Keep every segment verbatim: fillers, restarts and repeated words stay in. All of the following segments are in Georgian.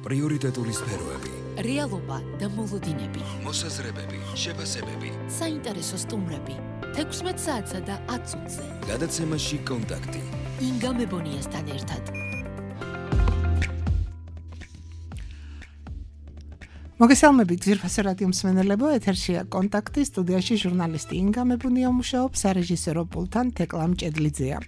პრიორიტეტული სფეროები, რეალობა და მოლოდინები, მოსაზრებები, შეფასებები, საინტერესო სტუმრები, თექვსმეტ საათსა და ათ წუთზე. გადაცემაში კონტაქტი. ინგა მებონიასთან ერთად. მოგესალმებით ძვირფასი რადიო მსმენელებო, ეთერშია კონტაქტი, სტუდიაში ჟურნალისტი ინგა მებონია მუშაობს, სარეჟისორო პულტთან თეკლა მჭედლიძეა.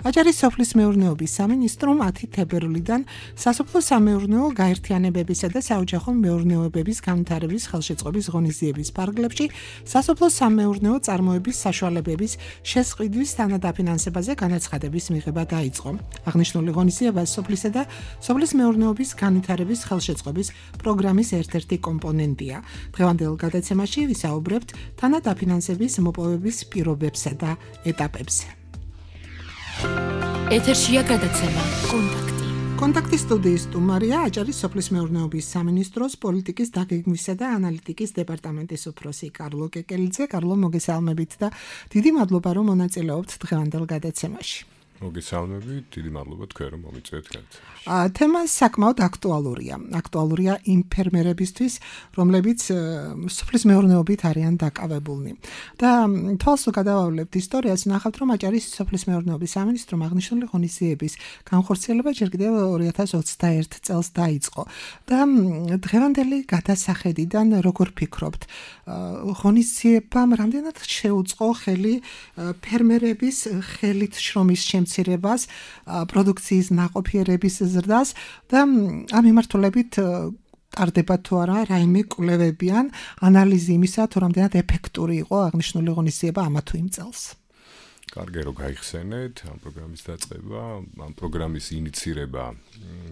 აჭარის სოფლის მეურნეობის სამინისტრომ ათი თებერვლიდან სასოფლო სამეურნეო გაერთიანებებისა და საოჯახო მეურნეობების განვითარების ხელშეწყობის ღონისძიების ფარგლებში სასოფლო სამეურნეო წარმოების საშუალებების შესყიდვის თანადაფინანსებაზე განაცხადების მიღება დაიწყო. აღნიშნული ღონისძიება სოფლისა და სოფლის მეურნეობის განვითარების ხელშეწყობის პროგრამის ერთ-ერთი კომპონენტია. დღევანდელ გადაცემაში ვისაუბრებთ თანადაფინანსების მოპოვების პირობებსა და ეტაპებზე. ეთერშია გადაცემა კონტაქტი. კონტაქტის სტუდიის სტუმარია აჭარის სოფლის მეურნეობის სამინისტროს პოლიტიკის დაგეგმვისა და ანალიტიკის დეპარტამენტის უფროსი კარლო კეკელიძე. კარლო, მოგესალმებით და დიდი მადლობა რომ მონაწილეობთ დღევანდელ გადაცემაში. მოგესალმებით, დიდი მადლობა თქვენ რომ მომიწვევთ გადაცემაში. თემა საკმაოდ აქტუალურია. აქტუალურია იმ ფერმერებისთვის, რომლებიც სოფლის მეურნეობით არიან დაკავებულნი. და თვალს გადავავლებთ ისტორიას, ნახავთ რომ აჭარის სოფლის მეურნეობის სამინისტრომ აღნიშნული ღონისძიების განხორციელება ჯერ კიდევ ორი ათას ოცდაერთ წელს დაიწყო. და დღევანდელი გადასახედიდან როგორ ფიქრობთ, ღონისძიებამ რამდენად შეუწყო ხელი ფერმერების ხელით შრომის შემცირებას, პროდუქციის ნაყოფიერების ზრდას და ამ მიმართულებით ტარდება თუ არა რაიმე კვლევებიან ანალიზი იმისა, თუ რამდენად ეფექტური იყო აღნიშნული ღონისძიება ამა თუ იმ წელს. კარგი რომ გაიხსენეთ ამ პროგრამის დაწყება, ამ პროგრამის ინიცირება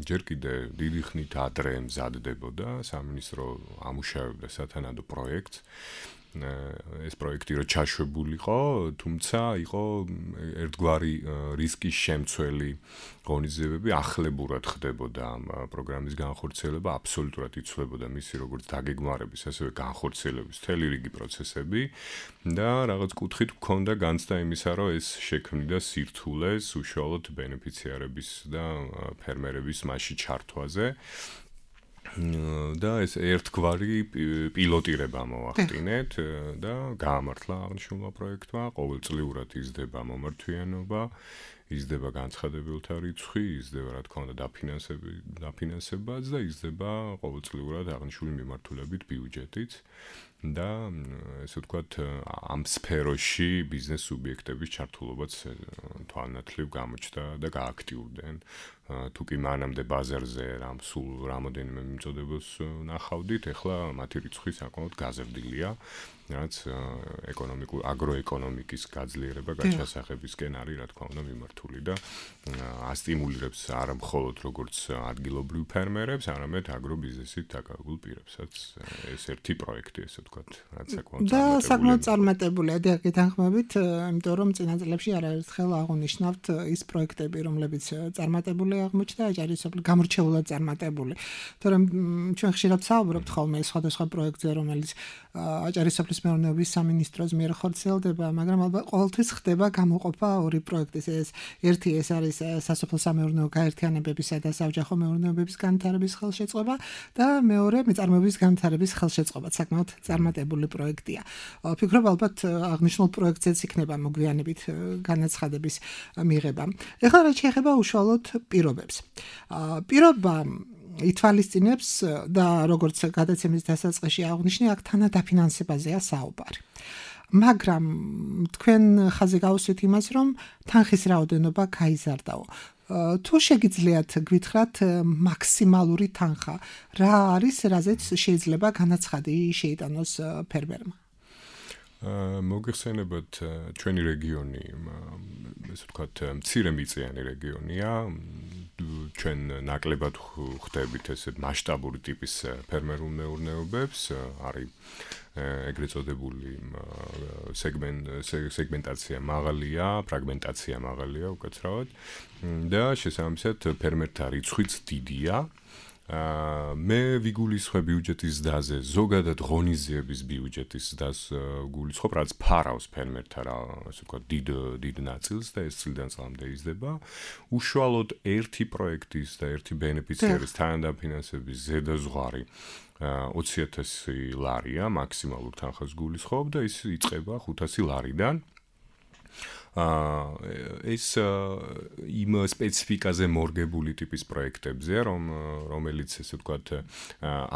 ჯერ კიდე დიდი ხნით ადრე მზადდებოდა, სამინისტრო ამუშავებდა სათანადო პროექტს. ეს პროექტი რო ჩაშვებულიყო, თუმცა იყო ერთგვარი რისკის შემცველი ღონისძიებები, ახლებურად ხდებოდა ამ პროგრამის განხორციელება, აბსოლუტურად იცვლებოდა მისი როგორც დაგეგმარების, ასევე განხორციელების მთელი რიგი პროცესები და რაღაც კუთხით მქონდა განცდა იმისა, რომ ეს შექმნიდა სირთულეს უშუალოდ ბენეფიციარების და ფერმერების მასში ჩართვაზე. და ეს ერთგვარი პილოტირება მოვახდინეთ და გაამართლა აღნიშნულმა პროექტმა, ყოველწლიურად იზრდება მომართვიანობა, იზრდება განცხადებულთა რიცხვი, იზრდება რა თქმა უნდა დაფინანსებაც და იზრდება ყოველწლიურად აღნიშნული მიმართულებით ბიუჯეტიც და ესე ვთქვათ ამ სფეროში ბიზნეს სუბიექტების ჩართულობაც თვალნათლივ გამოჩნდა და გააქტიურდნენ. თუ კი მანამდე ბაზარზე რამ სულ რამოდენიმე მიმწოდებას ნახავდით, ეხლა მათი რიცხვი საკმაოდ გაზრდილია, რაც ეკონომიკურ აგროეკონომიკის გაძლიერება გაჩასახებისკენ არის, რა თქმა უნდა, მიმართული და ასტიმულირებს არა მხოლოდ როგორც ადგილობრივ ფერმერებს, არამედ აგრობიზნესით დაკავებულ პირებსაც. ეს ერთი პროექტი, ესე ვთქვათ, რაც საკმაოდ და საკმაოდ წარმატებულია. დიახ, თანხმობით, იმიტომ რომ წინა წლებში არაერთხელ აღნიშნავთ ის პროექტები, რომლებიც წარმატებული აღმოჩნდა აჭარის სოფლის გამორჩეულად წარმატებული. თორემ ჩვენ ხშირად საუბრობთ ხოლმე სხვადასხვა პროექტზე, რომელიც აჭარის სოფლის მეურნეობის სამინისტროს მიერ ხორციელდება, მაგრამ ალბათ ყოველთვის ხდება გამოყოფა ორი პროექტის. ეს ერთი ეს არის სასოფლო სამეურნეო გაერთიანებებისა და საოჯახო მეურნეობების განვითარების ხელშეწყობა და მეორე მეწარმეობის განვითარების ხელშეწყობა. საკმაოდ წარმატებული პროექტია. ვფიქრობ ალბათ აღნიშნულ პროექტზეც იქნება მოგვიანებით განაცხადების მიღება. ეხლა რაც შეეხება უშუალოდ პირობებს. პირობა ითვალისწინებს და როგორც გადაცემის დასაწყისში აღნიშნე, აქ თანადაფინანსებაზეა საუბარი. მაგრამ თქვენ ხაზი გავუსვით იმას, რომ თანხის რაოდენობა გაიზარდაო. თუ შეგიძლიათ გვითხრათ მაქსიმალური თანხა, რა არის, რაზეც შეიძლება განაცხადი შეიტანოს ფერმერმა? მოგეხსენებათ, ჩვენი რეგიონი, ესე ვთქვათ, მცირემიწიანი რეგიონია. ჩვენ ნაკლებად ხვდებით ესეთ მასშტაბური ტიპის ფერმერულ მეურნეობებს, არის ეგრეთ წოდებული სეგმენტაცია მაღალია, ფრაგმენტაცია მაღალია უკაცრავად და შესაბამისად ფერმერთა რიცხვიც დიდია. აა მე ვიგულისხმე ბიუჯეტის ზრდაზე, ზოგადად ღონისძიების ბიუჯეტის ზრდას გულისხმობ, რაც ფარავს ფერმერთა რა, ასე ვთქვათ, დიდ დიდ ნაწილს და ეს წლიდან წლამდე იზრდება. უშუალოდ ერთი პროექტის და ერთი ბენეფიციარის თანადაფინანსების ზედაზღვარი ოცი ათასი ლარია, მაქსიმალურ თანხას გულისხმობ და ის იწყება ხუთასი ლარიდან. ეს იმ სპეციფიკაზე მორგებული ტიპის პროექტებზე, რომ რომელიც ესე ვთქვათ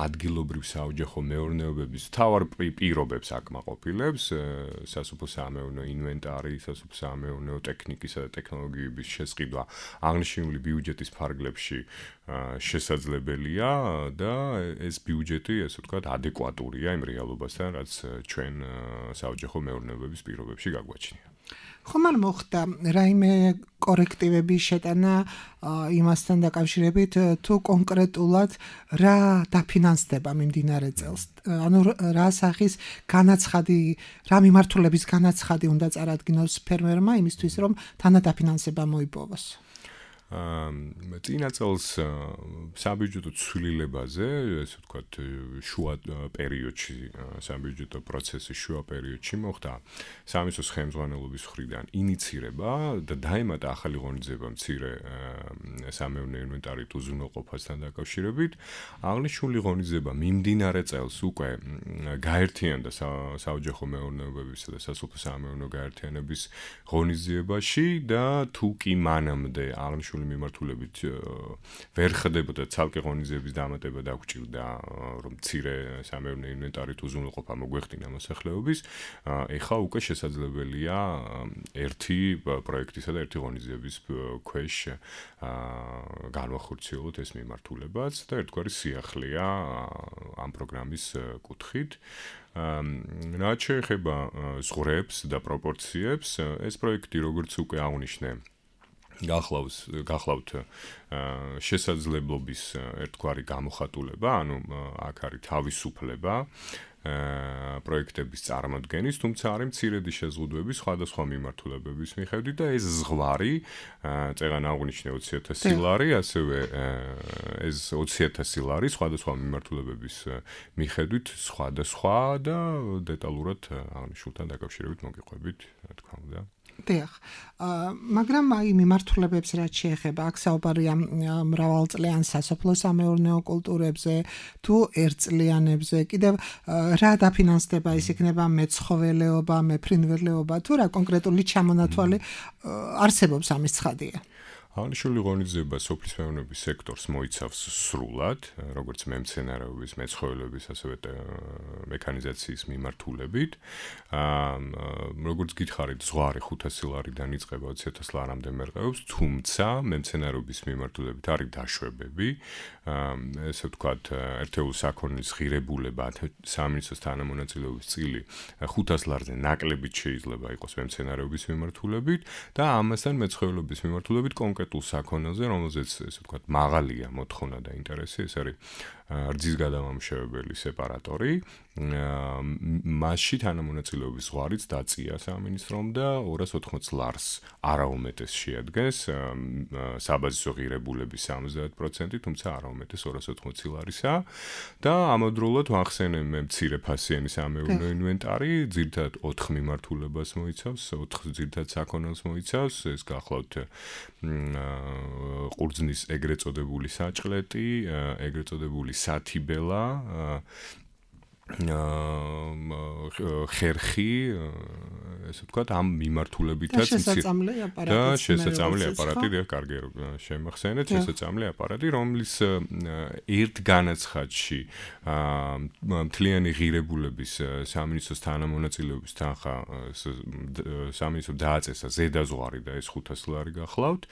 ადგილობრივ საოჯახო მეურნეობების თავარ პირობებს აკმაყოფილებს, სასოფლო-სამეურნეო ინვენტარი, სასოფლო-სამეურნეო ტექნიკისა და ტექნოლოგიების შესყიდვა აღნიშნული ბიუჯეტის ფარგლებში შესაძლებელია და ეს ბიუჯეტი, ესე ვთქვათ, ადეკვატურია იმ რეალობასთან, რაც ჩვენ საოჯახო მეურნეობების პირობებში გაგვაჩნია. ხომ არ მოხდა რაიმე კორექტივების შეტანა იმასთან დაკავშირებით, თუ კონკრეტულად რა დაფინანსდება მიმდინარე წელს? ანუ რა სახის განაცხადი, რა მიმართულების განაცხადი უნდა წარადგინოს ფერმერმა იმისთვის, რომ თანადაფინანსება მოიპოვოს? აა წინა წელს საბიუჯეტო ცვლილებაზე, ესე ვთქვათ, შუა პერიოდში, საბიუჯეტო პროცესის შუა პერიოდში მოხდა სამისოს ხელმძღვანელობის მხრიდან ინიცირება და დაემატა ახალი ღონისძიება მცირე სამეურნეო ინვენტარით უზრუნველყოფასთან დაკავშირებით. აღნიშნული ღონისძიება მიმდინარე წელს უკვე გაერთიანდა საოჯახო მეურნეობებისა და სასოფლო-სამეურნეო გაერთიანების ღონისძიებაში და თუ კი მანამდე აღნიშნული მიმართულებით ვერ ხდებოდა ცალკე ღონისძიების დამატება დაგჭირდა, რომ მცირე სამეურნეო ინვენტარით უზრუნველყოფა მოგვეხდინა მოსახლეობის, ეხლა უკვე შესაძლებელია ერთი პროექტისა და ერთი ღონისძიების ქვეშ განვახორციელოთ ეს მიმართულებაც და ერთგვარი სიახლეა ამ პროგრამის კუთხით. რაც შეეხება ზღვრებს და პროპორციებს, ეს პროექტი როგორც უკვე აღნიშნე გახლავს გახლავთ შესაძლებლობის ერთგვარი გამოხატულება, ანუ აქ არის თავისუფლება პროექტების წარმოდგენის, თუმცა არის მცირედი შეზღუდვები სხვადასხვა მიმართულებების მიხედვით და ეს ზღვარი, წეგან აღნიშნე ოცი ათასი ლარი, ასევე ეს ოცი ათასი ლარი სხვადასხვა მიმართულებების მიხედვით სხვადასხვა და დეტალურად აღნიშნულთან დაკავშირებით მოგიყვებით, რა თქმა უნდა. დიახ. მაგრამ აი მიმართულებებს რაც შეეხება, აქ საუბარია მრავალწლიან სასოფლო-სამეურნეო კულტურებზე, თუ ერთწლიანებზე, კიდევ რა დაფინანსდება, ის იქნება მეცხოველეობა, მეფრინველეობა, თუ რა კონკრეტული ჩამონათვალი არსებობს ამის ცხადია? აღნიშნული ღონისძიება სოფლის მეურნეობის სექტორს მოიცავს სრულად, როგორც მემცენარეობის, მეცხოველეობის, ასევე მექანიზაციის მიმართულებით. როგორც გითხარით, ზღვარი ხუთასი ლარიდან იწყება ოცი ათას ლარამდე მერყეობს, თუმცა მემცენარეობის მიმართულებით არის დაშვებები. ესე ვთქვათ, ერთეულ საქონლის ღირებულება სამინისტროს თანამონაწილეობის წილი ხუთას ლარზე ნაკლებით შეიძლება იყოს მემცენარეობის მიმართულებით და ამასთან მეცხოველეობის მიმართულებით კონკრეტულ საქონელზე, რომელზეც ესე ვთქვათ, მაღალია მოთხოვნა და ინტერესი, ეს არის რძის გადამამუშავებელი სეპარატორი. მასში თანამონაწილეობის ზღვარიც დაწია სამინისტრომ და ორას ოთხმოც ლარს არაუმეტეს შეადგენს საბაზისო ღირებულების სამოცდაათ პროცენტი, თუმცა არაუმეტეს ორას ოთხმოცი ლარისა და ამავდროულად ვახსენე მე მცირე ფასიანი სამეურნეო ინვენტარი, ძირითადად ოთხ მიმართულებას მოიცავს, ოთხ ძირითად საქონელს მოიცავს, ეს გახლავთ ყურძნის ეგრეთ წოდებული საჭყლეტი, ეგრეთ წოდებული სათიბელა, ხერხი, ესე ვთქვათ, ამ მიმართულებითაც და შესაძლებელი აპარატი, და კარგი შემახსენეთ, შესაძლებელი აპარატი, რომლის ერთ განაცხადში მთლიანი ღირებულების სამინისტროს თანამონაწილეობის თანხა სამინისტრომ დააწესა ზედაზღვარი და ეს ხუთასი ლარი გახლავთ,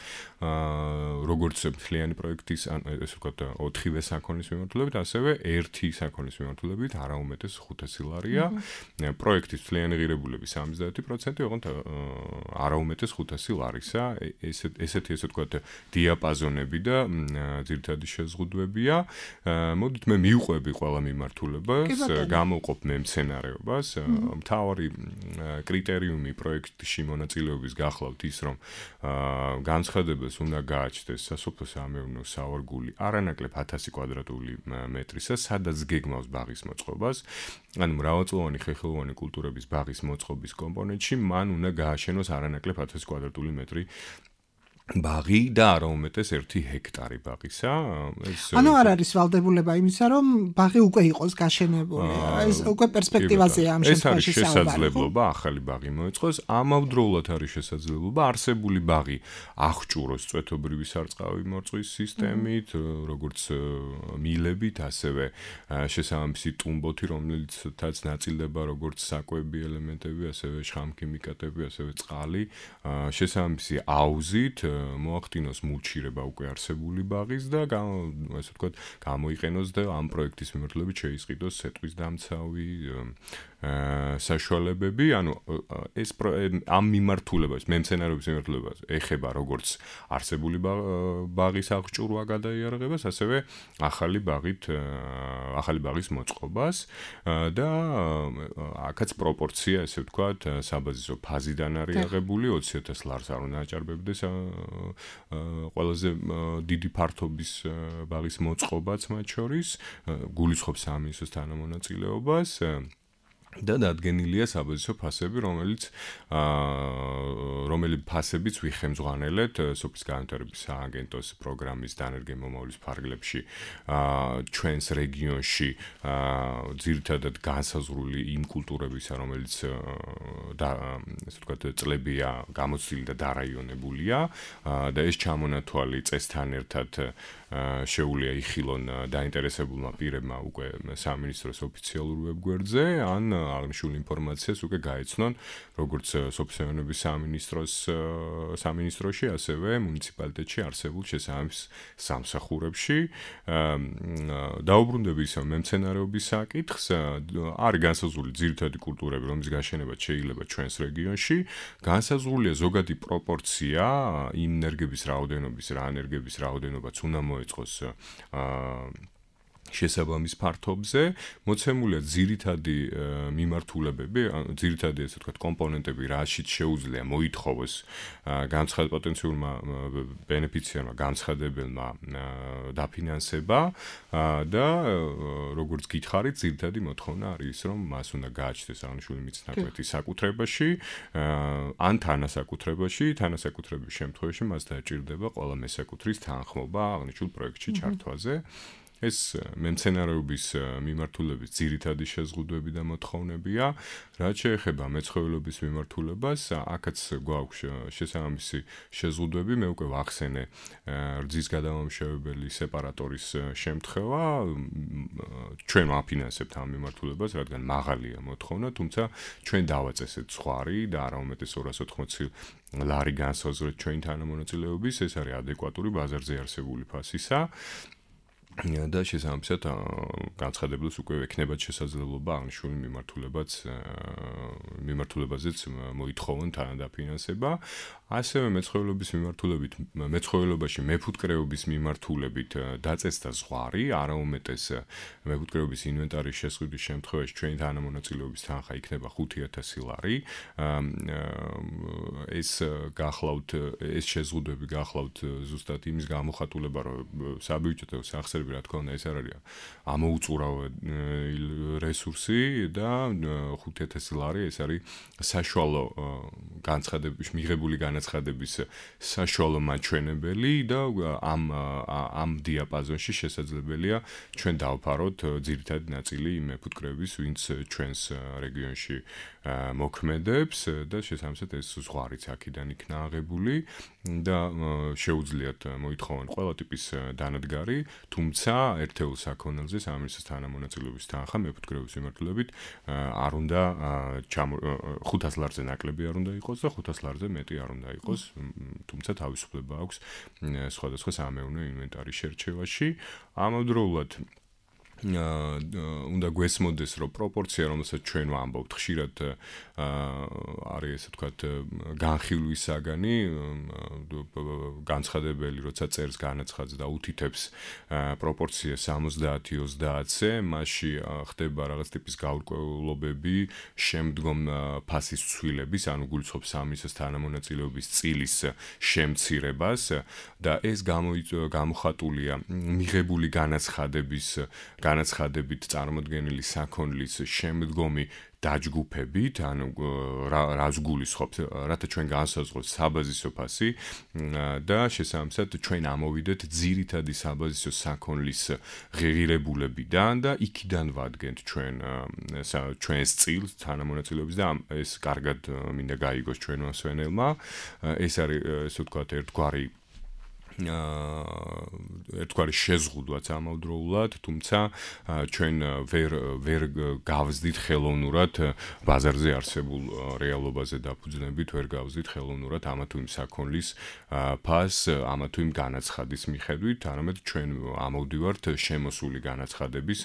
როგორც მთლიანი პროექტის, ესე ვთქვათ, ოთხივე საქონლის მიმართულებით, ასევე ერთი საქონლის მიმართულებით არაუმეტეს არაუმეტეს ხუთასი ლარია. პროექტის მთლიანი ღირებულები სამოცდაათი პროცენტი, ოღონდ არაუმეტეს ხუთასი ლარისა. ესეთ ესეთი ესე ვთქვათ დიაპაზონები და ძირითადი შეზღუდვებია. მოდით მე მივყვები ყველა მიმართულებას, გამოვყოფ მე მცენარეობას. მთავარი კრიტერიუმი პროექტში მონაწილეობის გახლავთ ის, რომ განცხადებას უნდა გააჩნდეს სასოფლო-სამეურნეო სავარგული არანაკლებ ათასი კვადრატული მეტრისა, სადაც გეგმავს ბაღის მოწყობას. ანუ მრავალწლოვანი ხეხილოვანი კულტურების ბაღის მოწყობის კომპონენტში მან უნდა გააშენოს არანაკლებ ათასი კვადრატული მეტრი ბაღი და არაუმეტეს ერთი ჰექტარი ბაღისა. ანუ არ არის ვალდებულება იმისა, რომ ბაღი უკვე იყოს გაშენებული. ეს უკვე პერსპექტივაზეა ამ შემთხვევაში საუბარი. ეს არის შესაძლებლობა ახალი ბაღი მოეწყოს, ამავდროულად არის შესაძლებლობა არსებული ბაღი აღჭუროს წვეთობრივი სარწყავი მორწყვის სისტემით, როგორც მილებით, ასევე შესაბამისი ტუმბოთი, რომელიცაც ნაწილდება როგორც საკვები ელემენტები, ასევე შხამქიმიკატები, ასევე წყალი, შესაბამისი აუზით მოახდინოს მულჩირება უკვე არსებული ბაღის და ასე ვთქვათ, გამოიყენოს და ამ პროექტის მიმართულებით შეისყიდოს სეტყვის დამცავი საშუალებები, ანუ ეს ამ მიმართულებას, მემცენარეობის მიმართულებას ეხება როგორც არსებული ბაღის აღჭურვა გადაიარაღებას, ასევე ახალი ბაღით ახალი ბაღის მოწყობას და აქაც პროპორცია, ესე ვთქვათ, საბაზისო ფაზიდან არის აღებული ოცი ათას ლარს არ უნდა აჭარბებდეს ყველაზე დიდი ფართობის ბაღის მოწყობაც მათ შორის, გულისხმობს სამინისტროს თანამონაწილეობას და დადგენილია საბაზისო ფასები, რომელიც რომელი ფასებიც ვიხემძღვანელეთ სოფლის განვითარების სააგენტოს პროგრამის დანერგე მომავლის ფარგლებში ჩვენს რეგიონში ძირითადად განსაზღვრული იმ კულტურებისა, რომელიც და ასე ვთქვათ წლებია გამოცდილი და დარაიონებულია და ეს ჩამონათვალი წესთან ერთად შეუძლია იხილონ დაინტერესებულმა პირებმა უკვე სამინისტროს ოფიციალურ ვებგვერდზე ან აღნიშნულ ინფორმაციას უკვე გაეცნონ როგორც სოფლის სამინისტროს სამინისტროში, ასევე მუნიციპალიტეტში არსებულ შესაბამის სამსახურებში. დაუბრუნდები ისევ მემცენარეობის საკითხს, არის განსაზღვრული ძირითადი კულტურები, რომლის გაშენებაც შეიძლება ჩვენს რეგიონში, განსაზღვრულია ზოგადი პროპორცია იმ ენერგების რაოდენობის, რა ენერგების რაოდენობაც უნდა მოეწყოს შესაბამის ფართობზე, მოცემულია ძირითადი მიმართულებები, ძირითადი ესე ვთქვათ კომპონენტები, რაშიც შეუძლია მოითხოვოს განცხად პოტენციურმა ბენეფიციარმა, განცხადებელმა დაფინანსება და როგორც გითხარით, ძირითადი მოთხოვნა არის ის, რომ მას უნდა გააჩნდეს აღნიშნული მიწნაკვეთი საკუთრებაში, ან თანასაკუთრებაში, თანასაკუთრების შემთხვევაში მას დაჭირდება ყველა მესაკუთრის თანხმობა აღნიშნულ პროექტში ჩართვაზე. ეს მემცენარეობის მიმართულების ძირითადი შეზღუდვები და მოთხოვნებია, რაც შეეხება მეცხოველობის მიმართულებას, აქაც გვაქვს შესაბამისი შეზღუდვები, მე უკვე ვახსენე რძის გადამამუშავებელი სეპარატორის შემთხვევა, ჩვენ ვაფინანსებთ ამ მიმართულებას, რადგან მაღალია მოთხოვნა, თუმცა ჩვენ დავაწესეთ ზღვარი და არაუმეტეს ორას ოთხმოცი ლარი განსაზღვრეთ ჩვენი თანამონაწილეობის, ეს არის ადეკვატური ბაზარზე არსებული ფასისა. და შესაბამისად განცხადებლებს უკვე ექნებათ შესაძლებლობა აღნიშნული მიმართულებაც მიმართულებაზეც მოითხოვონ თანადაფინანსება. ასევე მეცხოველობის მიმართულებით, მეცხოველობაში მეფუტკრეობის მიმართულებით დაწესდა ზღვარი, არაუმეტეს მეფუტკრეობის ინვენტარის შესყიდვის შემთხვევაში ჩვენი თანამონაწილეობის თანხა იქნება ხუთი ათასი ლარი. ეს გახლავთ, ეს შეზღუდვები გახლავთ ზუსტად იმის გამოხატულება, რომ საბიუჯეტო სახსრები, რა თქმა უნდა, ეს არ არის ამოუწურავი რესურსი და ხუთი ათასი ლარი ეს არის საშუალო განცხადების მიღებული განაცხადების საშუალო მაჩვენებელი და ამ ამ დიაპაზონში შესაძლებელია ჩვენ დავფაროთ ძირითადი ნაწილი იმ მეფუტკრეების, ვინც ჩვენს რეგიონში მოქმედებს და შესაბამისად ეს ზღვარიც აქედან იქნა აღებული და შეუძლიათ მოითხოვონ ყველა ტიპის დანადგარი, თუმცა ერთეულ საქონელზე სამინისტროს თანამონაწილეობის თანხა მეფუტკრეობის მიმართულებით არ უნდა ხუთას ლარზე ნაკლები არ უნდა იყოს და ხუთას ლარზე მეტი არ უნდა იყოს, თუმცა თავისუფლება აქვს სხვადასხვა სამეურნეო ინვენტარის შერჩევაში. ამავდროულად უნდა გვესმოდეს, რომ პროპორცია, რომელსაც ჩვენ ვამბობთ, ხშირად არის ესე ვთქვათ განხილვის საგანი, განცხადებელი, როცა წერს განაცხადს და უთითებს პროპორცია სამოცდაათი ოცდაათზე, მასში ხდება რაღაც ტიპის გაურკვევლობები შემდგომ ფასის ცვლილების, ანუ გულისხმობს ამის თანამონაწილეობის წილის შემცირებას და ეს გამოხატულია მიღებული განაცხადების განაცხადებით წარმოდგენილი საქონლის შემდგომი დაჯგუფებით, ანუ რას გულისხმობს, რათა ჩვენ განსაზღვროთ საბაზისო ფასი და შესაბამისად ჩვენ ამოვიდეთ ძირითადი საბაზისო საქონლის ღირებულებიდან და იქიდან ვადგენთ ჩვენ ჩვენს წილს თანამონაწილეობის და ეს კარგად მინდა გაიგოს ჩვენმა მსვენელმა. ეს არის ესე ვთქვათ ერთგვარი ერთგვარი შეზღუდვაც ამავდროულად, თუმცა ჩვენ ვერ ვერ გავზდით ხელოვნურად ბაზარზე არსებულ რეალობაზე დაფუძნებით, ვერ გავზდით ხელოვნურად ამა თუ იმ საქონლის ფასს, ამა თუ იმ განაცხადის მიხედვით, არამედ ჩვენ ამოვდივართ შემოსული განაცხადების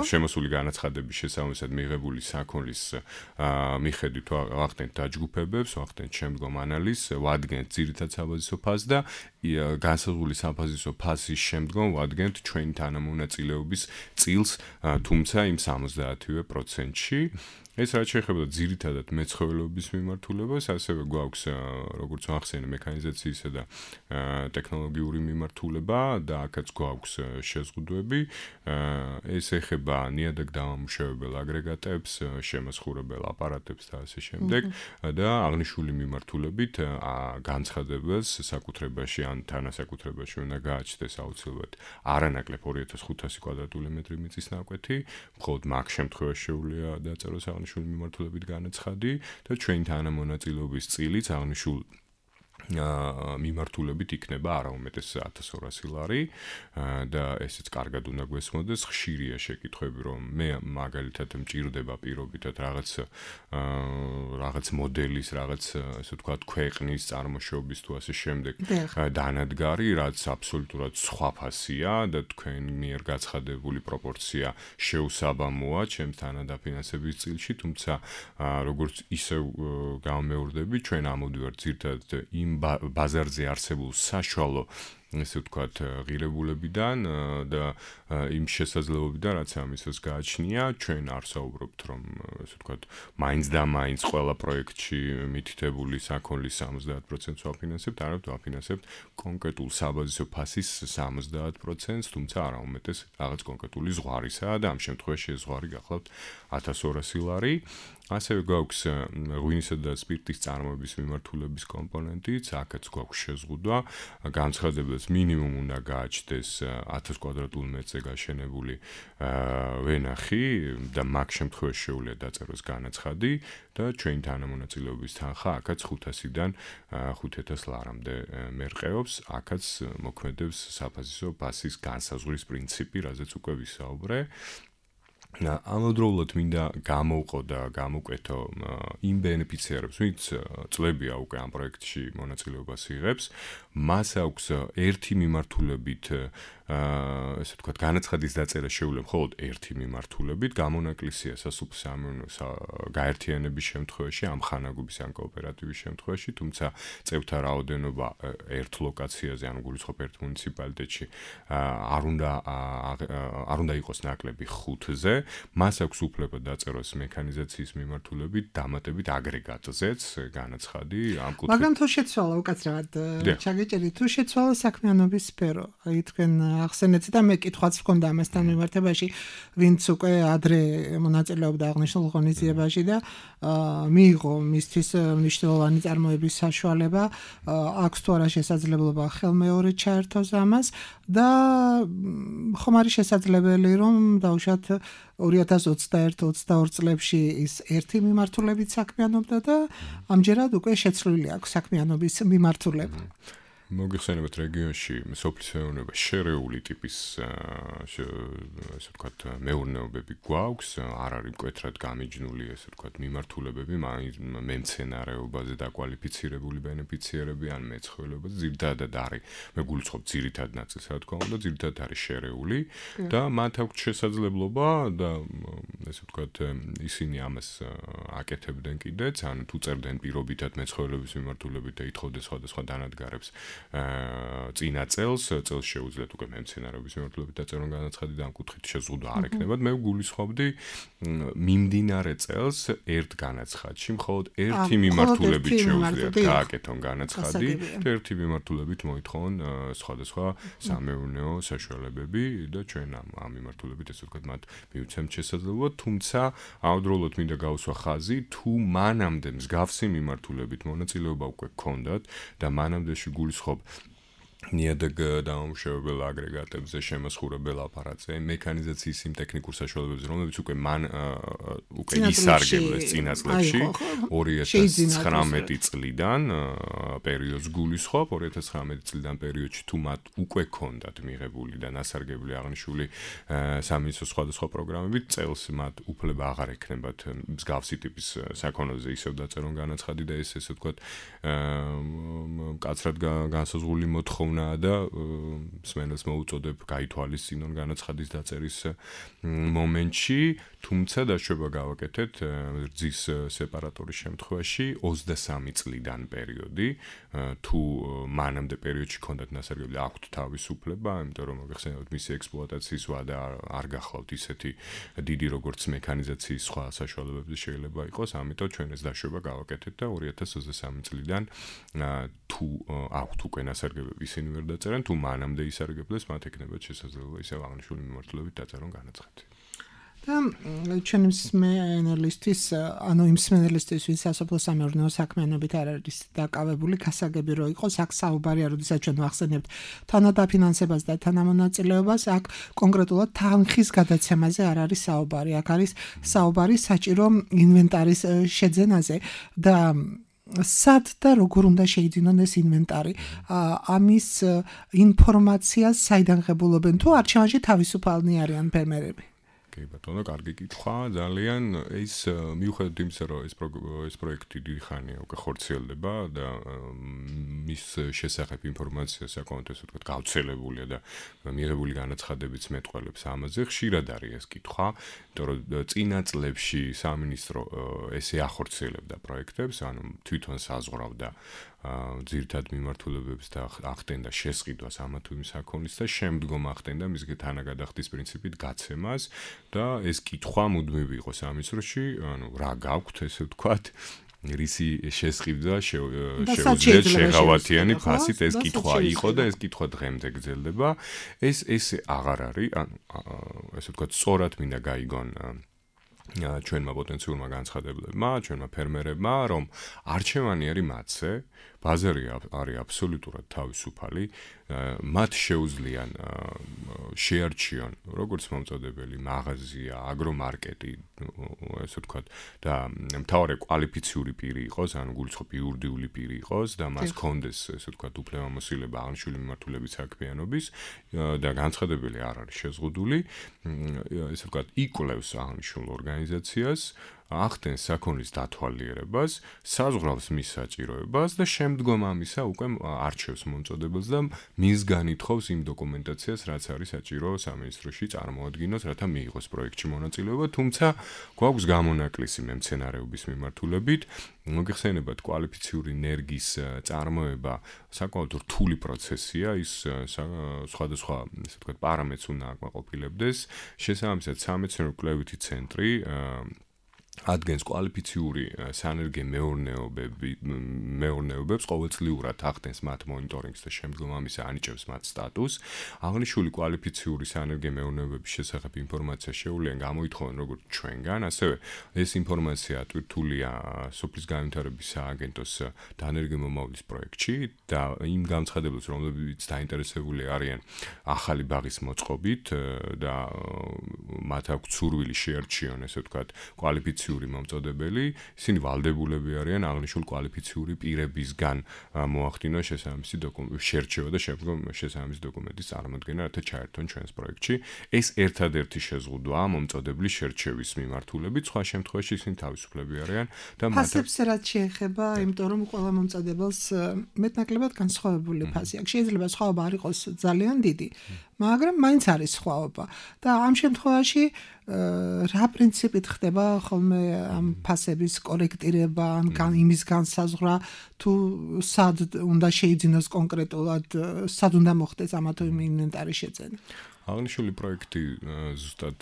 შემოსული განაცხადების შესაბამისად მიღებული საქონლის მიხედვით ვახდენთ დაჯგუფებებს, ვახდენთ შემდგომ ანალიზს, ვადგენთ ძირითად საბაზისო ფასს და განსაზღვრული საფაზისო ფასის შემდგომ ვადგენთ ჩვენი თანამონაწილეობის წილს, თუმცა იმ სამოცდაათივე პროცენტში. ეს რაც შეეხება ძირითადად მეცხოველეობის მიმართულებას, ასევე გვაქვს როგორც ახსენე მექანიზაციისა და ტექნოლოგიური მიმართულება და აქაც გვაქვს შეზღუდვები. ეს ეხება ნიადაგ დამამუშავებელ აგრეგატებს, შემოსხურებელ აპარატებს და ასე შემდეგ და აღნიშნული მიმართულებით განცხადებელს საკუთრებაში ან თანასაკუთრებაში უნდა გააჩნდეს აუცილებლად არანაკლებ ორი ათას ხუთასი კვადრატული მეტრი მიწის ნაკვეთი, მხოლოდ მაგ შემთხვევაში შეუძლია დაწეროს აღნიშნული მიმართულებით განაცხადი და ჩვენი თანამონაწილეობის წილიც აღნიშნულ მიმართულებით იქნება არაუმეტეს ათას ორასი ლარი და ესეც კარგად უნდა გვესმოდეს. ხშირია შეკითხვები, რომ მე მაგალითად მჭირდება პირობითად რაღაც რაღაც მოდელის, რაღაც ასე ვთქვათ ქვეყნის წარმოშობის თუ ასე შემდეგ დანადგარი, რაც აბსოლუტურად სხვა ფასია და თქვენ მიერ გაცხადებული პროპორცია შეუსაბამოა ჩემს თანადაფინანსების წილში, თუმცა როგორც ისევ გამეორდები, ჩვენ ამოვდივართ ძირითადად იმ ბაზარზე არსებულ საშუალო ესე ვთქვათ ღირებულებიდან და იმ შესაძლებლობიდან, რაც ამისას გააჩნია, ჩვენ არ საუბრობთ, რომ ესე ვთქვათ მაინც და მაინც ყველა პროექტში მითითებული საქონლის სამოცდაათ პროცენტს ვაფინანსებთ, არამედ ვაფინანსებთ კონკრეტულ საბაზისო ფასის სამოცდაათ პროცენტს, თუმცა არაუმეტეს რაღაც კონკრეტული ზღვარისა და ამ შემთხვევაში ეს ზღვარი გახლავთ ათას ორასი ლარი. ასევე გვაქვს ღვინისა და სპირტის წარმოების მიმართულების კომპონენტიც, აქაც გვაქვს შეზღუდვა, განცხადებელს მინიმუმ უნდა გააჩნდეს ათას კვადრატულ მეტრზე გაშენებული ვენახი და მაგ შემთხვევაში შეუძლია დაწეროს განაცხადი და ჩვენი თანამონაწილეობის თანხა აქაც ხუთასიდან ხუთ ათას ლარამდე მერყეობს, აქაც მოქმედებს საფაზისო ფასის განსაზღვრის პრინციპი, რაზეც უკვე ვისაუბრე. ამავდროულად მინდა გამოვყო და გამოკვეთო იმ ბენეფიციარებს, ვინც წლებია უკვე ამ პროექტში მონაწილეობას იღებს, მას აქვს ერთი მიმართულებით ესე ვთქვათ განაცხადის დაწერა შეუძლია მხოლოდ ერთი მიმართულებით, გამონაკლისია სასოფლო-სამეურნეო გაერთიანების შემთხვევაში, ამ ხანაგობის ან კოოპერატივის შემთხვევაში, თუმცა წევთა რაოდენობა ერთ ლოკაციაზე, ანუ გულისხმობ ერთ მუნიციპალიტეტში არ უნდა არ უნდა იყოს ნაკლები ხუთზე, მას აქვს უფლება დაწეროს მექანიზაციის მიმართულებით, დამატებით აგრეგატზეც განაცხადი ამ კუთხით. მაგრამ თუ შეცვალა უკაცრავად ჩაგეჭერით, თუ შეცვალა საქმიანობის სფერო, აი თქვენ ახსენეთ და მე კითხვაც მქონდა ამასთან მიმართებაში, ვინც უკვე ადრე მონაწილეობდა აღნიშნულ ღონისძიებაში და მიიღო მისთვის მნიშვნელოვანი წარმოების საშუალება, აქვს თუ არა შესაძლებლობა ხელმეორედ ჩაერთოს ამას და ხომ არის შესაძლებელი, რომ დავუშვათ ორი ათას ოცდაერთი ოცდაორი წლებში ის ერთი მიმართულებით საქმიანობდა და ამჯერად უკვე შეცვლილი აქვს საქმიანობის მიმართულება. მოგიხსენებათ რეგიონში სოფლის მეურნეობა შერეული ტიპის ასე ვთქვათ მეურნეობები გვაქვს, არ არის მკვეთრად გამიჯნული ესე ვთქვათ მიმართულებები, მემცენარეობაზე დაკვალიფიცირებული ბენეფიციერები ან მეცხოველეობაზე ძირითადად არის, მე გულისხმობ ძირითად ნაწილს რა თქმა უნდა, ძირითადად არის შერეული და მათ აქვს შესაძლებლობა და ესე ვთქვათ ისინი ამას აკეთებდნენ კიდეც, ან თუ წერდნენ პირობითად მეცხოველეობის მიმართულებით და ითხოვდნენ სხვადასხვა დანადგარებს წინა წელს, წელს შეუძლიათ უკვე მემცენარეობის მიმართულებით დაწერონ განაცხადი და ამ კუთხით შეზღუდვა არ ექნებათ. მე გულისხმობდი მიმდინარე წელს ერთ განაცხადში მხოლოდ ერთი მიმართულებით შეუძლიათ გააკეთონ განაცხადი და ერთი მიმართულებით მოითხოვონ სხვადასხვა სამეურნეო საშუალებები და ჩვენ ამ ამ მიმართულებით ესე ვთქვათ მათ მივცემთ შესაძლებლობა, თუმცა ამავდროულად მინდა გავუსვა ხაზი, თუ მანამდე მსგავსი მიმართულებით მონაწილეობა უკვე გქონდათ და მანამდეში გულისხმობ ნიადაგ დამამუშავებელ აგრეგატებზე შემოსხურებელ აპარატზე, მექანიზაციის იმ ტექნიკურ საშუალებებზე, რომლებიც უკვე მან უკვე ისარგებლეს წინა წლებში, ორი ათას ცხრამეტი წლიდან პერიოდს გულისხმობ, ორი ათას ცხრამეტი წლიდან პერიოდში თუ მათ უკვე ჰქონდათ მიღებული და ნასარგებლი აღნიშნული სამინისტროს სხვადასხვა პროგრამებით, წელს მათ უფლება აღარ ექნებათ მსგავსი ტიპის საქონელზე ისევ დაწერონ განაცხადი და ეს ესე ვთქვათ მკაცრად განსაზღვრული მოთხოვნა და მსმენელს მოუწოდებ გაითვალისწინონ განაცხადის დაწერის მომენტში, თუმცა დაშვება გავაკეთეთ რძის სეპარატორის შემთხვევაში ოცდასამი წლიდან პერიოდი, თუ მანამდე პერიოდში ჰქონდათ ნასარგებლი, აქვთ თავისუფლება, იმიტომ რომ მოგეხსენებათ მისი ექსპლუატაციის ვადა არ გახლავთ ისეთი დიდი როგორც მექანიზაციის სხვა საშუალებებზე შეიძლება იყოს, ამიტომ ჩვენ ეს დაშვება გავაკეთეთ და ორი ათას ოცდასამი წლიდან თუ აქვთ უკვე ნასარგებლები ისინი ვერ დაწერენ, თუ მანამდე ისარგებლეს, მათ ექნებათ შესაძლებლობა ისევ აღნიშნული მიმართულებით დაწერონ განაცხადი. და ჩვენი მსმენელისთვის, ანუ იმ მსმენელისთვის, ვინც სასოფლო სამეურნეო საქმიანობით არ არის დაკავებული, გასაგები რო იყოს, აქ საუბარია, როდესაც ჩვენ ვახსენებთ თანადაფინანსებას და თანამონაწილეობას, აქ კონკრეტულად თანხის გადაცემაზე არ არის საუბარი, აქ არის საუბარი საჭირო ინვენტარის შეძენაზე და სად და როგორ უნდა შეიძინონ ეს ინვენტარი, ამის ინფორმაციას საიდან ღებულობენ, თუ არჩევანში თავისუფალნი არიან ფერმერები? კი ბატონო, კარგი კითხვა, ძალიან ის მიუხედავად იმისა, რომ ეს ეს პროექტი დიდი ხანია უკვე ხორციელდება და მის შესახებ ინფორმაცია საკმაოდ ესე ვთქვათ გავრცელებულია და მიღებული განაცხადებიც მეტყველებს ამაზე, ხშირად არის ეს კითხვა, იმიტომ რომ წინა წლებში სამინისტრო ესე ახორციელებდა პროექტებს, ანუ თვითონ საზღვრავდა ძირითად მიმართულებებს და ახდენდა შესყიდვას ამა თუ იმ საქონლის და შემდგომ ახდენდა მის თანაგადახდის პრინციპით გაცემას და ეს კითხვა მუდმივი იყო სამინისტროში, ანუ რა გაქვთ ესე ვთქვათ, რისი შესყიდვა შეუძლიათ შეღავათიანი ფასით, ეს კითხვა იყო და ეს კითხვა დღემდე გრძელდება. ეს ესე აღარ არის, ანუ ესე ვთქვათ, სწორად მინდა გაიგონ ჩვენმა პოტენციურმა განცხადებლებმა, ჩვენმა ფერმერებმა, რომ არჩევანი არის მათზე, ბაზარი არის აბსოლუტურად თავისუფალი, მათ შეუძლიან შეარჩიონ როგორც მომწოდებელი მაღაზია, აგრომარკეტი, ესე ვთქვათ, და მთავარი კვალიფიციური პირი იყოს, ანუ გულისხმობ იურიდიული პირი იყოს და მას ჰქონდეს, ესე ვთქვათ, უფლებამოსილება აღნიშნული მიმართულებით საქმიანობის და განცხადებელი არ არის შეზღუდული, ესე ვთქვათ, იკვლევს აღნიშნულ ორგანიზაციას, ახდენს საქონლის დათვალიერებას, საზღვრავს მის საჭიროებას და შემდგომ ამისა უკვე არჩევს მომწოდებელს და მისგან ითხოვს იმ დოკუმენტაციას, რაც არის საჭირო სამინისტროში წარმოადგინოს, რათა მიიღოს პროექტში მონაწილეობა, თუმცა გვაქვს გამონაკლისი მემცენარეობის მიმართულებით, მოგეხსენებათ კვალიფიციური ენერგიის წარმოება საკმაოდ რთული პროცესია, ის სხვადასხვა, ესე ვთქვათ, პარამეტრს უნდა აკმაყოფილებდეს, შესაბამისად სამეცნიერო კვლევითი ცენტრი ადგენს კვალიფიციური სანერგე მეურნეობები მეურნეობებს ყოველწლიურად ახდენს მათ მონიტორინგს და შემდგომ ამისა ანიჭებს მათ სტატუსს. აღნიშნული კვალიფიციური სანერგე მეურნეობების შესახებ ინფორმაცია შეუძლია გამოითხოვონ როგორც ჩვენგან, ასევე ეს ინფორმაცია ატვირთულია სოფლის განვითარების სააგენტოს დანერგე მომავლის პროექტში და იმ განცხადებლებს, რომლებიც დაინტერესებული არიან ახალი ბაღის მოწყობით და მათ აქვს სურვილი შეარჩიონ, ესე ვთქვათ, კვალიფიციური მომწოდებელი, ისინი ვალდებულები არიან აღნიშნულ კვალიფიციური პირებისგან მოახდინონ შესაბამისი დოკუმენტი, შერჩევა და შემდგომ შესაბამისი დოკუმენტის წარმოქმნა, რათა ჩაერთონ ჩვენს პროექტში. ეს ერთადერთი შეზღუდვაა მომწოდებლის შერჩევის მიმართულებით, სხვა შემთხვევაში ისინი თავისუფლები არიან და მათ ფასებს რაც შეეხება, იმიტომ რომ ყველა მომწოდებელს მეტნაკლებად განსხვავებული ფასი აქვს. შეიძლება სხვაობა არ იყოს ძალიან დიდი, მაგრამ მაინც არის სხვაობა. და ამ შემთხვევაში რა პრინციპით ხდება ხოლმე ამ ფასების კორექტირება, ან იმის განსაზღვრა, თუ სად უნდა შეიძინოს კონკრეტულად, სად უნდა მოხდეს ამა თუ იმ ინვენტარის შეძენა. აღნიშნული პროექტი ზუსტად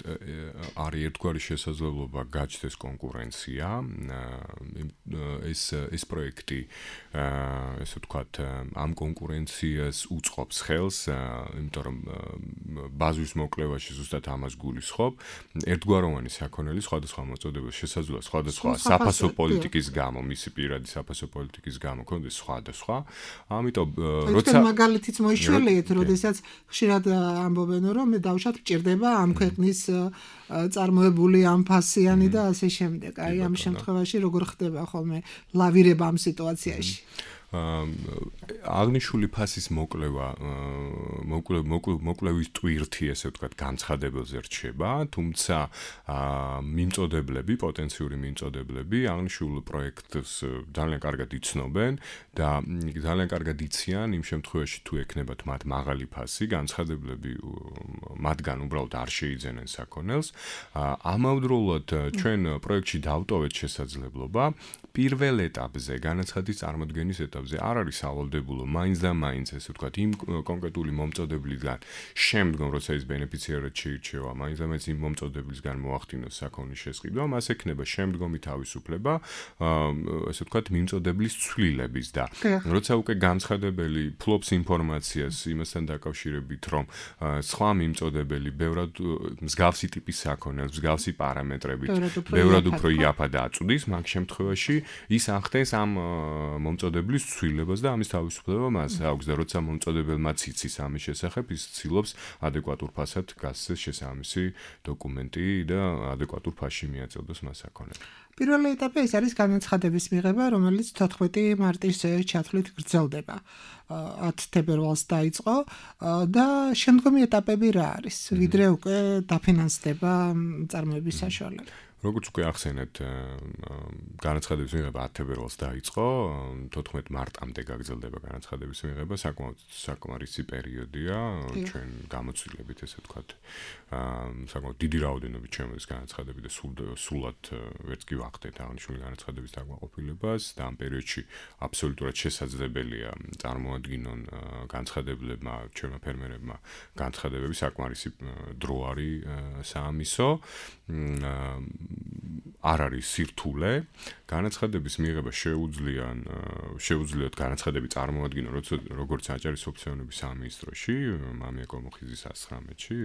არის ერთგვარი შესაძლებლობა გაჩნდეს კონკურენცია. ეს ეს პროექტი, ესე ვთქვათ, ამ კონკურენციას უწყობს ხელს, იმიტომ რომ ბაზრის მოკლებაში ზუსტად ამას გულისხმობ. ერთგვაროვანი საქონელი სხვადასხვა მოწოდების შესაძლოა სხვადასხვა საფასო პოლიტიკის გამო, მისი პირადი საფასო პოლიტიკის გამო კონდეს სხვადასხვა. ამიტომ როცა მაგალითიც მოიშველიეთ, როდესაც ხშირად ამბობენ რომ დავუშვათ მჭირდება ამ ქვეყნის წარმოებული ამ ფასიანი და ასე შემდეგ. აი ამ შემთხვევაში როგორ ხდება ხოლმე ლავირება ამ სიტუაციაში? აღნიშნული ფასის მოკლევა მოკლევის ტვირთი, ესე ვთქვათ, განცხადებელზე რჩება, თუმცა მიმწოდებლები, პოტენციური მიმწოდებლები აღნიშნულ პროექტს ძალიან კარგად იცნობენ და ძალიან კარგად იციან იმ შემთხვევაში, თუ ექნებათ მათ მაღალი ფასი, განცხადებლები მათგან უბრალოდ არ შეიძენენ საქონელს. ამავდროულად ჩვენ პროექტში დავტოვეთ შესაძლებლობა პირველ ეტაპზე, განაცხადის წარმოქმნის ეტაპზე არ არის სავალდებულო მაინც და მაინც, ესე ვთქვათ, იმ კონკრეტული მომწოდებლისგან შემდგომ, როცა ის ბენეფიციარად შეირჩევა, მაინც და მაინც იმ მომწოდებლისგან მოახდინოს საქონლის შესყიდვა, მას ექნება შემდგომი თავისუფლება, ესე ვთქვათ, მიმწოდებლის ცვლილების და როცა უკვე განცხადებელი ფლობს ინფორმაციას იმასთან დაკავშირებით, რომ სხვა მიმწოდებელი ბევრად მსგავსი ტიპის საქონელს, მსგავსი პარამეტრებით, ბევრად უფრო იაფად აწვდის, მაგ შემთხვევაში ის ახდენს ამ მომწოდებლის ცვლილებას და ამის თავისუფლება მას აქვს და როცა მომწოდებელმაც იცის ამის შესახებ, ის ცდილობს ადეკვატურ ფასად გასცეს შესაბამისი დოკუმენტი და ადეკვატურ ფასში მიაწოდოს მას საქონელი. პირველი ეტაპი ეს არის განაცხადების მიღება, რომელიც თოთხმეტი მარტის ჩათვლით გრძელდება. ათ თებერვალს დაიწყო და შემდგომი ეტაპები რა არის? ვიდრე უკვე დაფინანსდება წარმოების საშუალება. როგორც უკვე ახსენეთ, განაცხადების მიღება ათ თებერვალს დაიწყო, თოთხმეტ მარტამდე გაგრძელდება განაცხადების მიღება, საკმაოდ საკმარისი პერიოდია, ჩვენ გამოცდილებით, ესე ვთქვათ, საკმაოდ დიდი რაოდენობით ჩემს განაცხადები და სულად ვერც კი ვახდეთ აღნიშნული განაცხადების დაკმაყოფილებას და ამ პერიოდში აბსოლუტურად შესაძლებელია წარმოადგინონ განაცხადებლებმა, ჩვენმა ფერმერებმა განაცხადებები, საკმარისი დრო არის საამისო. არ არის სირთულე, განაცხადების მიღება შეუძლიან შეუძლიათ განაცხადები წარმოადგინონ როგორც აჭარის ოფიციალურობის სამინისტროში, მამია კომოხიზის ათსცხრამეტში,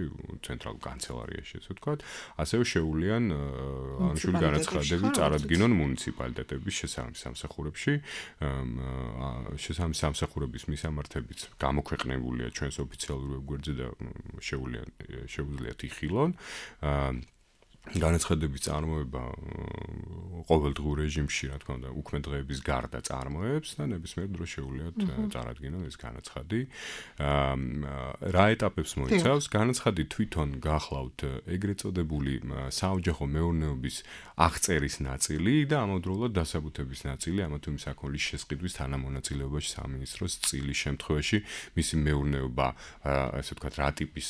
ცენტრალურ კანცელარიაში, ესე ვთქვათ, ასევე შეუძლიან აღნიშნული განაცხადები წარადგინონ მუნიციპალიტეტების შესაბამის სამსახურებში, შესაბამის სამსახურების მისამართებიც გამოქვეყნებულია ჩვენს ოფიციალურ ვებგვერდზე და შეუძლიან შეუძლიათ იხილონ. განაცხადების წარმოება ყოველდღიურ რეჟიმში, რა თქმა უნდა, უქმე დღეების გარდა წარმოებს და ნებისმიერ დროს შეუძლიათ წარადგინონ ეს განაცხადი. რა ეტაპებს მოიცავს? განაცხადი თვითონ გახლავთ ეგრეთ წოდებული საოჯახო მეურნეობის აღწერის ნაწილი და ამავდროულად დასაბუთების ნაწილი ამა თუ იმ საქონლის შესყიდვის თანამონაწილეობაში სამინისტროს წილის შემთხვევაში მისი მეურნეობა, ასე ვთქვათ, რა ტიპის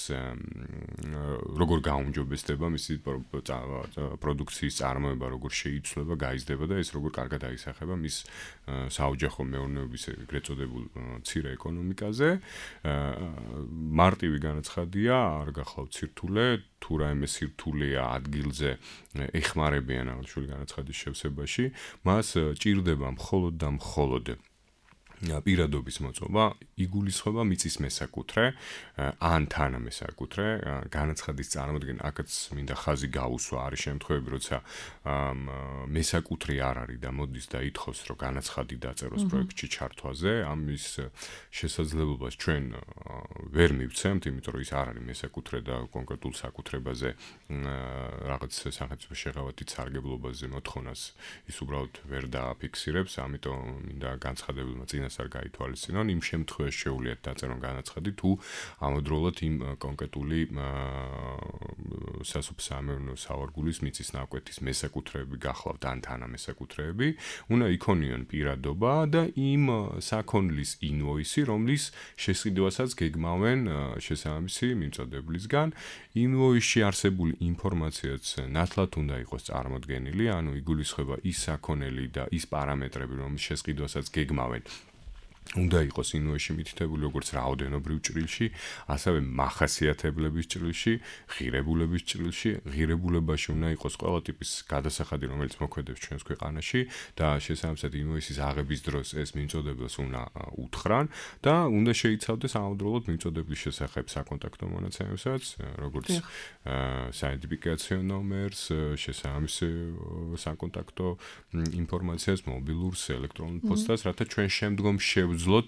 როგორ გაუმჯობესდება მისი პროდუქციის წარმოება, როგორ შეიცვლება, გაიზრდება და ეს როგორ კარგად აისახება მის საოჯახო მეურნეობის ეგრეთ წოდებულ მცირე ეკონომიკაზე. მარტივი განაცხადია, არ გახლავთ სირთულე, თუ რაიმე სირთულეა ადგილზე ეხმარებიან აღნიშნული განაცხადის შევსებაში, მას ჭირდება მხოლოდ და მხოლოდ პირადობის მოწობა იგულისხმება მიწის მესაკუთრე ან თანამესაკუთრე განაცხადის წარმოდგენა აქაც მინდა ხაზი გაუსვა არის შემთხვევები როცა მესაკუთრე არ არის და მოდის და ითხოვს რომ განაცხადი დაწეროს პროექტში ჩართვაზე ამის შესაძლებლობას ჩვენ ვერ მივცემთ იმიტომ რომ ის არ არის მესაკუთრე და კონკრეტულ საკუთრებაზე რაღაც სახელმწიფო შეღავათით სარგებლობაზე მოთხოვნას ის უბრალოდ ვერ დააფიქსირებს ამიტომ მინდა განცხადებულმა წინასწარ არ გაითვალისწინონ იმ შემთხვევაში შეუძლიათ დაწერონ განაცხადი თუ ამავდროულად იმ კონკრეტული სასოფლო-სამეურნეო სავარგულის მიწის ნაკვეთის მესაკუთრეები გახლავთ ან თანამესაკუთრეები უნდა იქონიონ პირადობა და იმ საქონლის ინვოისი რომლის შესყიდვასაც გეგმავენ შესაბამისი მიმწოდებლისგან ინვოისში არსებული ინფორმაციაც ნათლად უნდა იყოს წარმოდგენილი ანუ იგულისხმება ის საქონელი და ის პარამეტრები რომლის შესყიდვასაც გეგმავენ უნდა იყოს ინვოისში მითითებული როგორც რაოდენობრივ ჭრილში, ასევე მახასიათებლების ჭრილში, ღირებულების ჭრილში, ღირებულებაში უნდა იყოს ყველა ტიპის გადასახადი, რომელიც მოქმედებს ჩვენს ქვეყანაში და შესაბამისად ინვოისის აღების დროს ეს მიმწოდებელს უნდა უთხრან და უნდა შეიცავდეს ამავდროულად მიმწოდebლის შესახებ საკონტაქტო მონაცემებსაც, როგორც საიდენტიფიკაციო ნომერს, შესაბამის საკონტაქტო ინფორმაციას, მობილურს, ელექტრონულ პოსტას, რათა ჩვენ შემდგომ შევძლოთ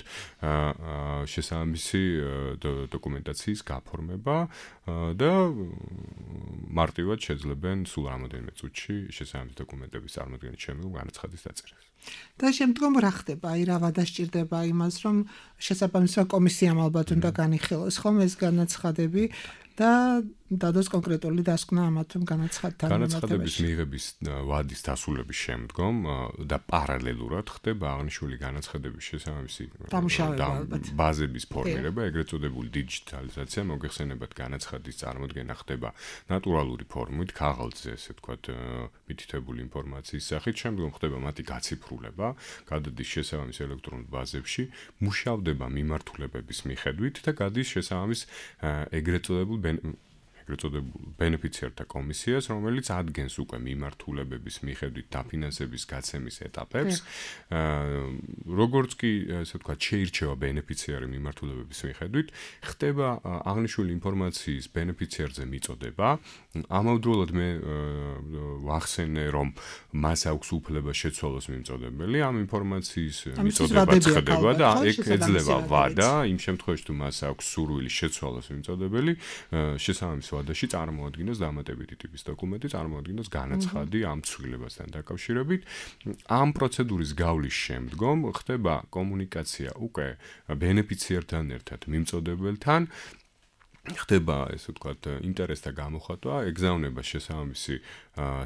შესაბამისი დოკუმენტაციის გაფორმება და მარტივად შეძლებენ სულ რამოდენიმე წუთში შესაბამისი დოკუმენტების წარმოდგენის შემდგომ განაცხადის დაწერას. და შემდგომ რა ხდება? აი რა ვადასჭირდება იმას, რომ შესაბამისი კომისიამ ალბათ უნდა განიხილოს ხომ ეს განაცხადები და დადოს კონკრეტული დასკვნა ამათ რომ განაცხადთან განაცხადების მიღების ვადის დასრულების შემდგომ და პარალელურად ხდება აღნიშნული განაცხადების შესაბამისი ბაზების ფორმირება, ეგრეთ წოდებული დიჯიტალიზაცია, მოგეხსენებათ განაცხადის წარმოდგენა ხდება ნატურალური ფორმით, ქაღალდზე, ესე ვთქვათ, მითითებული ინფორმაციის სახით, შემდგომ ხდება მათი გაციფრულება, გადადის შესაბამის ელექტრონულ ბაზებში, მუშავდება მიმართულებების მიხედვით და გადის შესაბამის ეგრეთ წოდებულ ეგრეთ წოდებულ ბენეფიციართა კომისიას, რომელიც ადგენს უკვე მიმართულებების მიხედვით დაფინანსების გაცემის ეტაპებს. როგორც კი, ესე ვთქვათ, შეირჩევა ბენეფიციარი მიმართულებების მიხედვით, ხდება აღნიშნული ინფორმაციის ბენეფიციარზე მიწოდება. ამავდროულად მე ვახსენე, რომ მას აქვს უფლება შეცვალოს მიმწოდებელი, ამ ინფორმაციის მიწოდება ხდება და ეგ ეძლევა ვადა, იმ შემთხვევაში თუ მას აქვს სურვილი შეცვალოს მიმწოდებელი, შესაბამის ვადაში წარმოადგინოს დამატებითი ტიპის დოკუმენტი, წარმოადგინოს განაცხადი ამ ცვლილებასთან დაკავშირებით. ამ პროცედურის გავლის შემდგომ ხდება კომუნიკაცია უკვე ბენეფიციართან ერთად მიმწოდებელთან. ხდება, ესე ვთქვათ, ინტერესთა გამოხატვა, ეგზაუნება შესაბამისი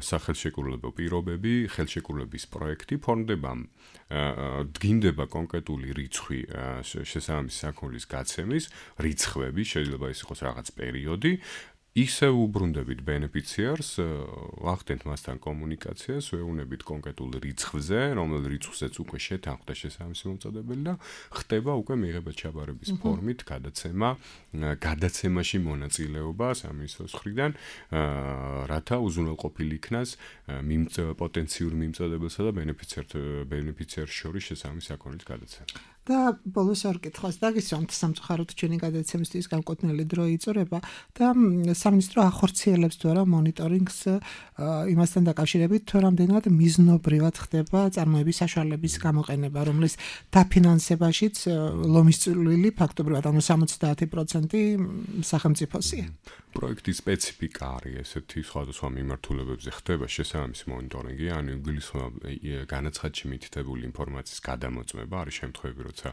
სახელშეკრულებო პირობები, ხელშეკრულების პროექტი, ფორმდება დგინდება კონკრეტული რიცხვი შესაბამისი საქონლის გაცემის, რიცხვები, შეიძლება ის იყოს რაღაც პერიოდი. ისე უბრუნდებით ბენეფიციარს, ვახდენთ მასთან კომუნიკაციას, ვეუბნებით კონკრეტულ რიცხვზე, რომელ რიცხვზეც უკვე შეთანხმდა შესაბამისი მომწოდებელი და ხდება უკვე მიღება ჩაბარების ფორმით გადაცემა, გადაცემაში მონაწილეობა სამინისტროს მხრიდან, რათა უზრუნველყოფილი იქნას პოტენციურ მიმწოდებელსა და ბენეფიციარს შორის შესაბამისი საქონლის გადაცემა. და ბოლოს ორ კითხვას დაგისვამთ, სამწუხაროდ ჩვენი გადაცემისთვის განკუთვნილი დრო იწურება და სამინისტრო ახორციელებს თუ არა მონიტორინგს იმასთან დაკავშირებით, თუ რამდენად მიზნობრივად ხდება წარმოების საშუალების გამოყენება, რომლის დაფინანსებაშიც ლომის წვლილი ფაქტობრივად ანუ სამოცდაათი პროცენტი სახელმწიფოსია. პროექტის სპეციფიკა არის ესეთი სხვადასხვა მიმართულებებზე ხდება შესაბამისი მონიტორინგი, ანუ იგულისხმება განაცხადში მითითებული ინფორმაციის გადამოწმება, არის შემთხვევები, როცა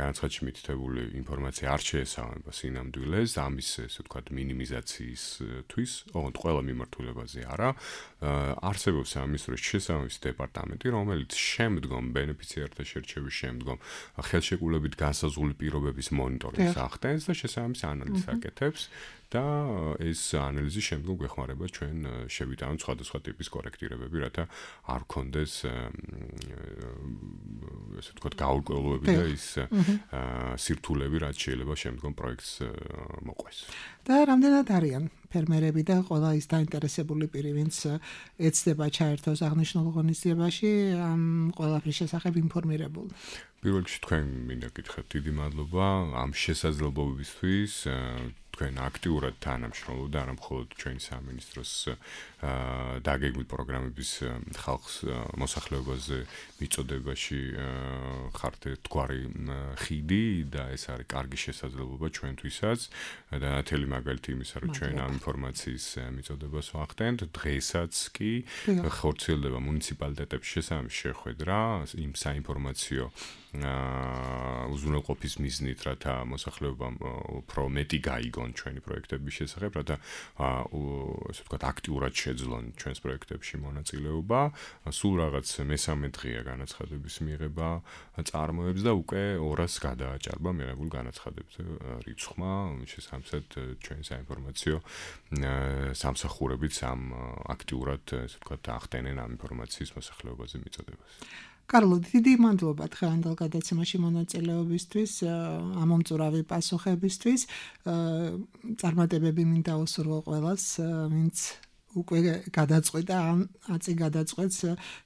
განაცხადში მითითებული ინფორმაცია არ შეესაბამება სინამდვილეს, ამის ესე ვთქვათ მინიმიზაციისთვის, ოღონდ ყველა მიმართულებაზე არა. არსებობს სამინისტროს შესაბამისი დეპარტამენტი, რომელიც შემდგომ ბენეფიციართა შერჩევის შემდგომ ხელშეკრულებით განსაზღვრული პირობების მონიტორინგს ახდენს და შესაბამის ანალიზს აკეთებს და ეს ანალიზი შემდგომ გვეხმარება ჩვენ შევიტანოთ სხვადასხვა ტიპის კორექტირებები, რათა არ გქონდეს ესე ვთქვათ გაურკვევლობები და ის სირთულეები, რაც შეიძლება შემდგომ პროექტს მოყვეს. და რამდენად არიან ფერმერები და ყველა ის დაინტერესებული პირი, ვინც ეცდება ჩაერთოს აღნიშნულ ღონისძიებაში, ამ ყველაფრის შესახებ ინფორმირებული? პირველ რიგში თქვენ მინდა გითხრათ დიდი მადლობა ამ შესაძლებლობებისთვის. თქვენ აქტიურად თანამშრომლობთ არა მხოლოდ ჩვენი სამინისტროს დაგეგმილ პროგრამების ხალხს მოსახლეობაზე მიწოდებაში ხართ ერთგვარი ხიდი და ეს არის კარგი შესაძლებლობა ჩვენთვისაც და ნათელი მაგალითი იმისა, რომ ჩვენ ამ ინფორმაციის მიწოდებას ვახდენთ. დღესაც კი ხორციელდება მუნიციპალიტეტებში შესაბამისი შეხვედრა იმ საინფორმაციო უზრუნველყოფის მიზნით, რათა მოსახლეობამ უფრო მეტი გაიგონ ჩვენი პროექტების შესახებ, რათა ასე ვთქვათ აქტიურად შეძლონ ჩვენს პროექტებში მონაწილეობა. სულ რაღაც მესამე დღეა განაცხადების მიღება წარმოებს და უკვე ორას გადააჭარბა მიღებული განაცხადების რიცხვმა, შესაბამისად ჩვენ საინფორმაციო სამსახურებიც ამ აქტიურად ასე ვთქვათ ახდენენ ამ ინფორმაციის მოსახლეობაზე მიწოდებას. კარლო, დიდი მადლობა დღევანდელ გადაცემაში მონაწილეობისთვის, ამომწურავი პასუხებისთვის. წარმატებები მინდა უსურვო ყველას, ვინც უკვე გადაწყვეტა ან აწი გადაწყვეტს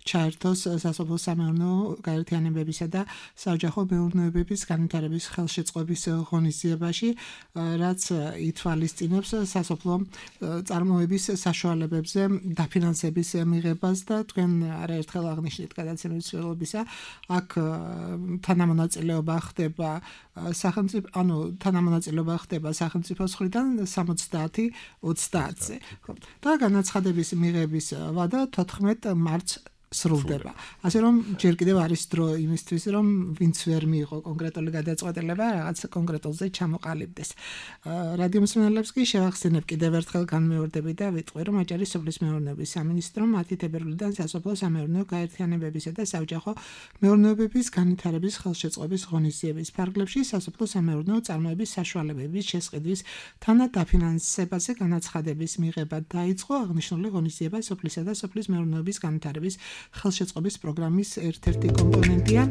ჩაერთოს სასოფლო-სამეურნეო გაერთიანებებისა და საოჯახო მეურნეობების განვითარების ხელშეწყობის ღონისძიებაში, რაც ითვალისწინებს სასოფლო წარმოების საშუალებებზე დაფინანსების მიღებას და თქვენ არაერთხელ აღნიშნეთ გადაცემის მსვლელობისა, აქ თანამონაწილეობა ხდება სახელმწიფო, ანუ თანამონაწილეობა ხდება სახელმწიფოს მხრიდან სამოცდაათი ოცდაათზე. და განაცხადების მიღების ვადა თოთხმეტ მარტს სრულდება. ასე რომ ჯერ კიდევ არის დრო იმისთვის, რომ ვინც ვერ მიიღო კონკრეტული გადაწყვეტილება, რაღაც კონკრეტულზე ჩამოყალიბდეს. რადიო მსმენელებს კი შევახსენებ კიდევ ერთხელ განმეორდები და ვიტყვი, რომ აჭარის სოფლის მეურნეობის სამინისტრომ მათი თებერვლიდან სასოფლო-სამეურნეო გაერთიანებებისა და საოჯახო მეურნეობების განვითარების ხელშეწყობის ღონისძიების ფარგლებში სასოფლო-სამეურნეო წარმოების საშუალებების შესყიდვის თანადაფინანსებაზე განაცხადების მიღება დაიწყო. აღნიშნული ღონისძიება სოფლისა და სოფლის მეურნეობის განვითარების ხელშეწყობის პროგრამის ერთ-ერთი კომპონენტია.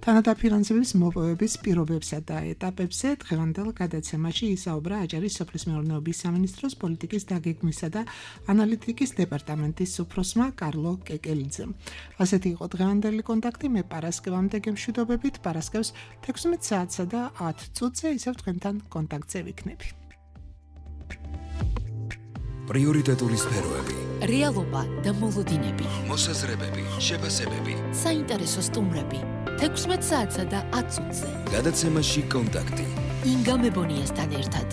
თანადაფინანსების მოპოვების პირობებსა და ეტაპებზე დღევანდელ გადაცემაში ისაუბრა აჭარის სოფლის მეურნეობის სამინისტროს პოლიტიკის დაგეგმვისა და ანალიტიკის დეპარტამენტის უფროსმა კარლო კეკელიძემ. ასეთი იყო დღევანდელი კონტაქტი. მე პარასკევამდე გემშვიდობებით, პარასკევს თექვსმეტ საათსა და ათ წუთზე ისევ თქვენთან კონტაქტზე ვიქნები. პრიორიტეტული სფეროები, რეალობა და მოლოდინები, მოსაზრებები, შეფასებები, საინტერესო სტუმრები, თექვსმეტ საათსა და ათ წუთზე. გადაცემაში კონტაქტი. ინგა მებონიასთან ერთად.